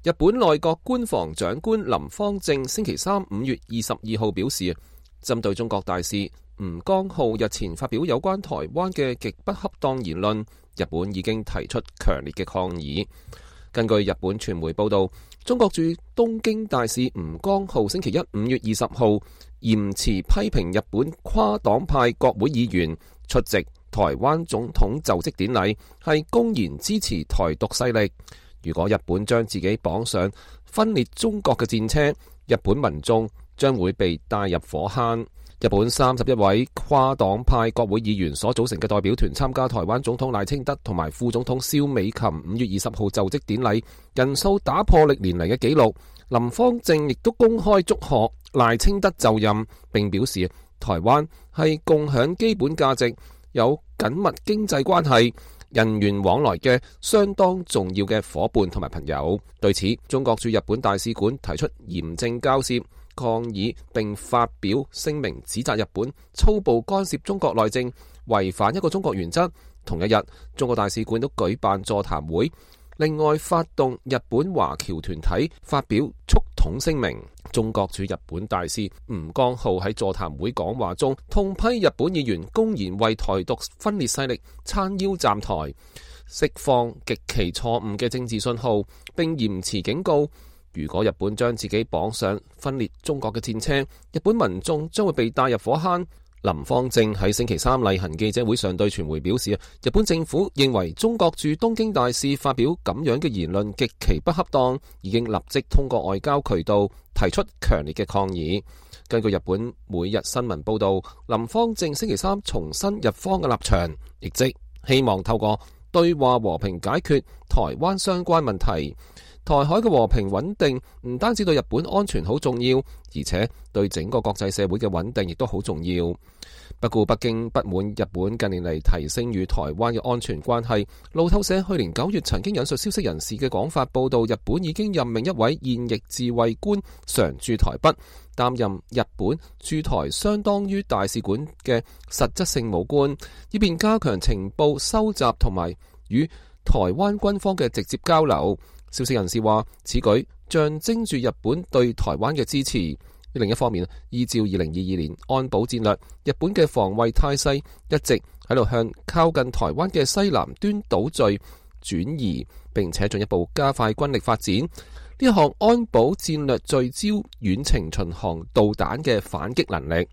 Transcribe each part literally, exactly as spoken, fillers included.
日本內閣官房長官林芳正星期三五月二十二號表示，針對中國大使吳江浩日前發表有關台灣嘅極不恰當言論，日本已經提出強烈嘅抗議。根據日本傳媒報道，中國駐東京大使吳江浩星期一五月二十號嚴詞批評日本跨黨派國會議員出席台灣總統就職典禮係公然支持台獨勢力。如果日本將自己綁上分裂中國嘅戰車，日本民眾將會被帶入火坑。日本三十一位跨黨派國會議員所組成嘅代表團參加台灣總統賴清德同埋副總統蕭美琴五月二十號就職典禮，人數打破歷年嚟嘅紀錄。林芳正亦都公開祝賀賴清德就任，並表示台灣係共享基本價值、有緊密經濟關係、人員往來嘅相當重要嘅夥伴同埋朋友。對此，中國駐日本大使館提出嚴正交涉抗議，並發表聲明指責日本粗暴干涉中國內政，違反一個中國原則。同一日，中國大使館都舉辦座談會，另外發動日本華僑團體發表促統聲明。中國駐日本大使吳江浩喺座談會講話中痛批日本議員公然為台獨分裂勢力撐腰站台，釋放極其錯誤嘅政治信號，並嚴詞警告，如果日本將自己綁上分裂中國嘅戰車，日本民眾將會被帶入火坑。林芳正喺星期三例行記者會上對傳媒表示，日本政府認為中國駐東京大使發表咁樣嘅言論極其不恰當，已經立即通過外交渠道提出強烈嘅抗議。根據日本每日新聞報道，林芳正星期三重申日方嘅立場，亦即希望透過對話和平解決台灣相關問題。台海嘅和平穩定唔單止對日本安全好重要，而且對整個國際社會嘅穩定亦都好重要。不過北京不滿日本近年嚟提升與台灣嘅安全關係。路透社去年九月曾經引述消息人士嘅講法報道，日本已經任命一位現役自衛官常駐台北，擔任日本駐台相當於大使館嘅實質性武官，以便加強情報收集同埋與台灣軍方嘅直接交流。消息人士話，此舉象徵住日本對台灣嘅支持。另一方面，依照二零二二年安保戰略，日本嘅防衛態勢一直喺度向靠近台灣嘅西南端島嶼轉移，並且進一步加快軍力發展。呢一項安保戰略聚焦遠程巡航導彈嘅反擊能力。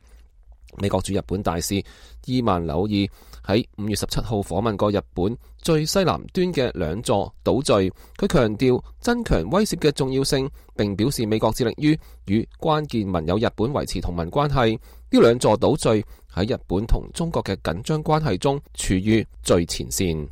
美國駐日本大使伊萬紐爾喺五月十七號訪問過日本最西南端嘅兩座島嶼，佢強調增強威懾嘅重要性，並表示美國致力於與關鍵盟友日本維持同盟關係。呢兩座島嶼喺日本同中國嘅緊張關係中處於最前線。